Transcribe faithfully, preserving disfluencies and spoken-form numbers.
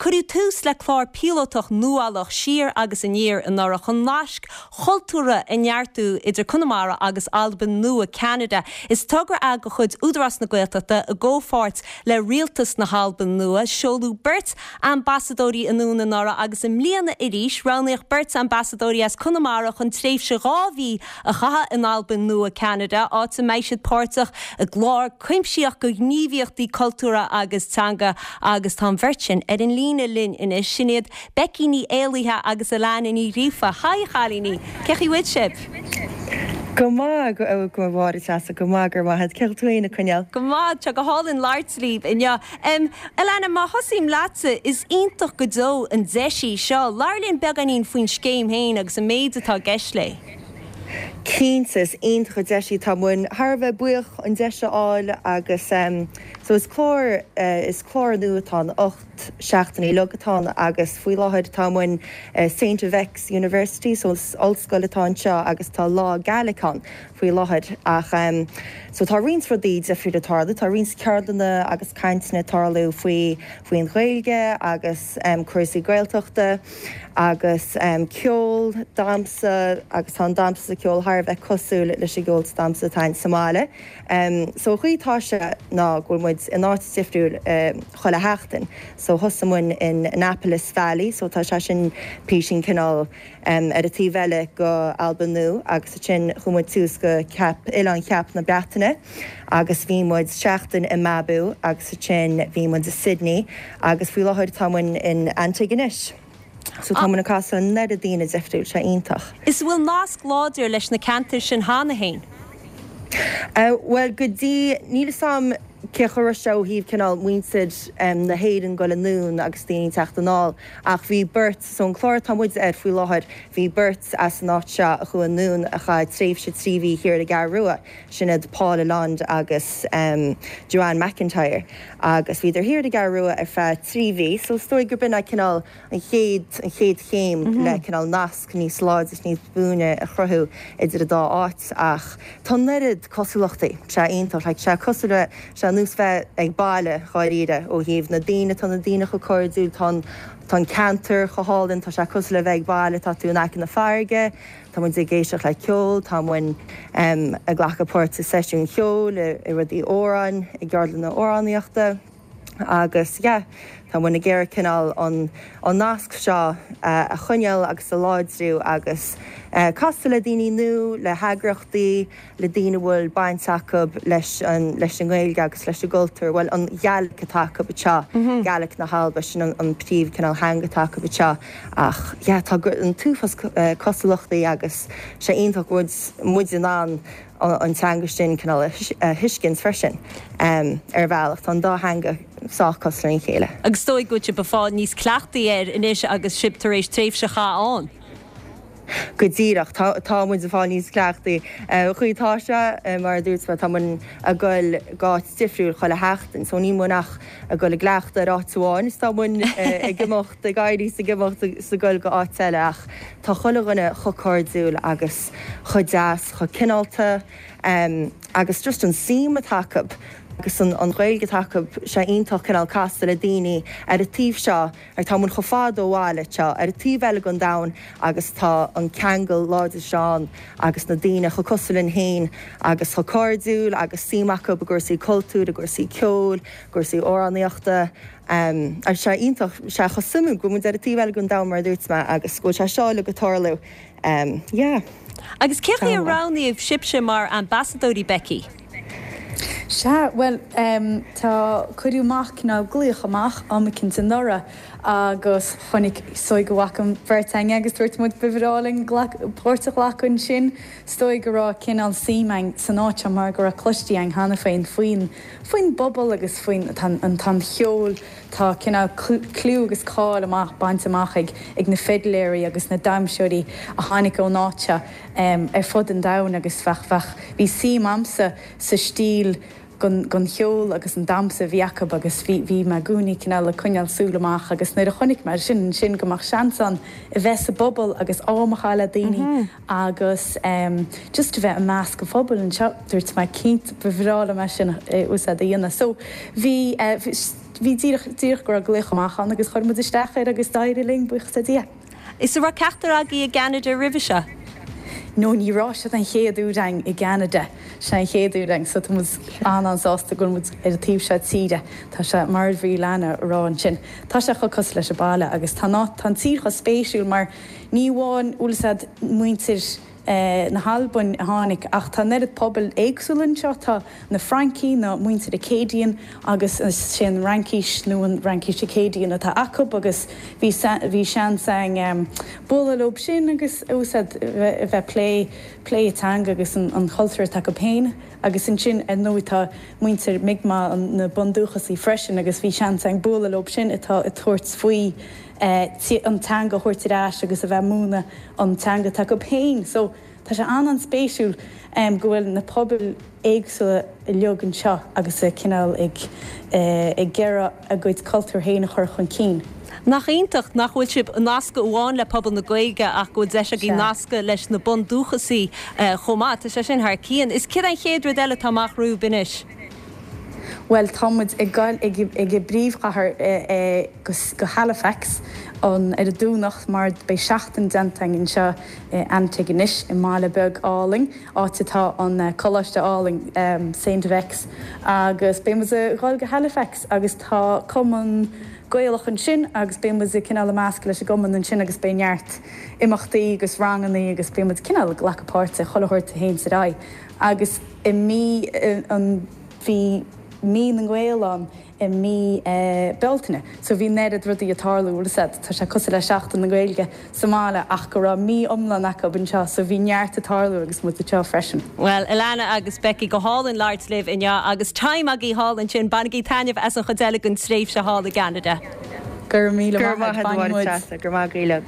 Cuireadh tús le clár píolótach nuálach siar agus aniar anuraidh chun naisc chultúrtha a neartú idir Conamara agus Albain Nua Ceanada. Is togra é de chuid Údarás na Gaeltachta i gcomhpháirt le rialtas na hAlban Nua, seoladh beirt ambasadóirí anonn anuraidh agus i mbliana arís roghnaíodh beirt ambasadóirí as Conamara chun tréimhse dhá mhí a chaitheamh in Albain Nua Ceanada, áit a mbeidh siad páirteach i gclár cuimsitheach de ghníomhaíochtaí cultúrtha agus teanga agus tá an bheirt sin ar an líne linn anois sin iad Becky Ní Éalaithe agus Alana Ní Ghríofa. Haigh a chailíní, cén chaoi a bhfuil sibh? Go maith go go bháir go maith gur maith ceiltúna coinneal. Go maith tá go hálainn labhairt libh inniu. Um, Alana má thosaím leatsa is iontach go deo an deis í seo, Labhair linn beagáinín faoin scéim féin agus an méid atá i gceist léi. Cinnte is iontach an deis í tá muid thar a bheith buíoch an deis a fháil agus um, so is clár uh, is clár nua atá ann ocht seachtaine uilig atá ann agus faoi láthair tá muid uh, Saint FX University so is ollscoil atá anseo agus tá lá Gaelic ann faoi láthair ach um, so tá roinnt rudaí difriúla ag tarlú, tá roinnt ceardlanna agus cainteanna ag tarlú faoi faoin Ghaeilge agus um, cúrsaí Gaeltachta agus um, ceol damhsa agus tá an damhsa ceol thar a bheith cosúil leis an gceol damhsa atá sa mbaile. Um, so chaoi tá sé ná go bhfuil muid in áit difriúil um, chuile sheachtain. So thosaigh muid in Annapolis Valley, so tá sé sin píosaín cineál um, ar an taobh eile go Albain Nua agus sin chuaigh muid suas go Ceap Oileán Cheap na Breataine agus bhí muid seachtain i Mabou agus sin bhí muid i Sydney agus faoi láthair tá muid in Antigonish. So tá muid ag casadh an oiread daoine difriúil sé iontach. Is bhfuil nasc láidir leis na ceantair sin cheana féin. Uh, well go dtí níl sam cé chu se híh cineál muintir um, na hÉireann go le nún agus daoine teacht anall ach bhí beirt so an clár tá muid air faoi láthair bhí beirt as an áit seo a chuaigh anonn a chaith tréimhse trí mhí thiar i gCeathrú Rua sin iad Paul Land agus um, Joanne McIntyre agus bhíodar thiar i gCeathrú Rua ar feadh trí mhí so is dóigh gurb in cineál an chéad an chéad chéim mm -hmm. le cineál nasc níos láidre níos buaine a chruthú idir an dá áit ach tá an oiread cosúlachtaí sé iontach like, sé cosúil sé nós bheith ag baile dháiríre ó thaobh na daoine tá na daoine chomh cairdiúil tá tá an ceantar chomh hálainn tá sé cosúil le bheith ag baile tá tú in aice na farraige, Tá muid ag éisteacht le ceol, tá muid um, ag glacadh páirt i seisiún ceoil i, i rudaí amhrán i gceardlanna amhránaíochta. agus yeah, tá muid ag iarraidh cineál an, an nasc seo uh, a choinneáil agus a láidriú agus uh, casadh le daoine nua le heagraíochtaí le daoine bhfuil baint acu leis an, leis an nGaeilge agus leis an gcultúr, well an Ghaeilge atá acu anseo mm -hmm. Gaeilge na hAlban sin an, an príomh cineál teanga atá acu anseo ach yeah, tá an t-uafás uh, cosúlachtaí agus sé iontach muid muid in ann an teanga sin cineál a thuiscint freisin um, ar bhealach tá an dá theanga sách cosúil lena chéile. Agus dóigh go bhfuil sibh níos cleachtaí air anois agus sibh tar éis tréimhse a chaitheamh ann. Go díreach tá muid ag fáil níos cleachtaí. Chaoi tá sé mar dúirt tá muid ag dul go háit difriúil chuile sheachtain, so níl muid ach ag dul ag cleachtadh ar áit amháin, is tá muid ag imeacht ag éirí ag imeacht is ag dul go áit eile ach tá chuile dhuine chomh cairdiúil agus chomh deas chomh cineálta um, agus just an suim atá acu agus an, an Ghaeilge atá acu sé iontach cineál casadh le daoine ar an taobh seo ar tá muid chomh fada ó bhaile seo ar an taobh eile den domhan agus tá an ceangal láidir sin agus na daoine chomh cosúil linn féin agus chomh cairdiúil agus suim acu i gcúrsaí cultúir, i gcúrsaí ceoil, cúrsaí amhránaíochta. Um, agus sé iontach sé chomh suimiúil go bhfuil ar an taobh eile den domhan mar dúirt mé agus go sé seo le go tarlú. Um, yeah. Agus cé a roghnaíodh sibhse mar ambasadóirí Becky? Sea, well um, tá cuireadh amach ná glaoch amach am éicint anuraidh agus chonaic sói go bhfaca an bheirt againne agus dúirt muid ba bhreá linn páirt a ghlacadh ansin is dóigh go raibh cineál suim againn san áit mar go raibh cloiste againn cheana féin faoin faoin bpobal agus faoin an tan cheol tá cineál clú agus cáil amach bainte amach ag ag na fidléirí agus na damhsóirí a tháinig ón áit um, ar fud an domhain agus bheadh bheadh bhí suim agamsa sa stíl gon cheol agus an damhsa a bhí acu agus bhí bhí mé i gcónaí cineál ag coinneáil súil amach agus nuair a chonaic mé sin sin go mbeadh seans ann a bheith sa bpobal agus am a chaitheamh le daoine agus um, just a bheith i measc an phobail anseo dúirt mé cinnte ba bhreá liom é sin úsáid a dhéanamh. So bhí uh, bhí díreach díreach go raibh glaoch amach ann agus chuir muid isteach air agus d'éirigh linn buíochas le Dia. Is raibh ceachtar agaibh i gCeanada roimhe seo? No ní raibh seo an chéad uair againn i gCeanada sé an chéad uair againn so tá an-an-sásta go bhfuil ar an taobh seo tíre Tá sé mar bhí lena rá ansin. Tá sé chomh cosúil leis an baile agus tá tá an tír chomh spéisiúil mar ní amháin úsáid muintir eh, na hAlban a tháinig ach tá neart pobal éagsúil anseo tá na Francaigh na muintir Acadian agus sin Fhraincis nó an Fhraincis Acadian atá acu agus bhí bhí seans um, bualadh leo sin agus úsáid bheith plé plé teanga agus an, an chultúr atá acu féin agus ansin ar ndóigh tá muintir Mi'kmaq na bundúchasaigh freisin agus bhí seans againn bualadh leo sin atá ag tabhairt faoi eh, an teanga thabhairt ar ais agus a bheith múineadh an teanga atá acu féin. So tá sé an-an-spéisiúil um, go bhfuil na pobail éagsúla uilig anseo agus a cineál ag uh, ag iarraidh a gcuid cultúr féin a chur chun cinn. Nach iontach nach bhfuil sibh nasctha amháin le pobal na Gaeilge ach go bhfuil deis agaibh nascadh leis na bundúchasaigh uh, chomh maith tá sé sin thar cionn. Is céard an chéad rud eile atá amach romhaibh anois. Well támuid ag gal ag ag i bpríomhchathair e, e, go Halifax an ar an Domhnach mar beidh seachtain déanta anseo Antigonish i mbaile beag álainn áit atá an coláiste álainn um, Saint FX agus beimid ag dul go Halifax agus tá cumann Gaelach ansin agus beimid cineál ag meascadh leis an gcumann ansin agus beidh neart imeachtaí agus ranganna agus beimid cineál glacadh páirte chothir héin sa rá. Agus i mí an bhí mí na nGael ann i mí eh, Bealtaine. So bhí neart rudaí ag tarlú said tá sé cosúil le Seachtain na Gaeilge sa mbaile ach go raibh mí iomlán acu anseo, so bhí neart ag tarlú agus muid anseo freisin. Well, Alana agus Becky go hálainn labhairt libh inniu agus time agaibh thall ansin bainigí taitneamh as an chuid eile den tréimhse thall i gCeanada. Gur míle Gur maith gur maith gaoile.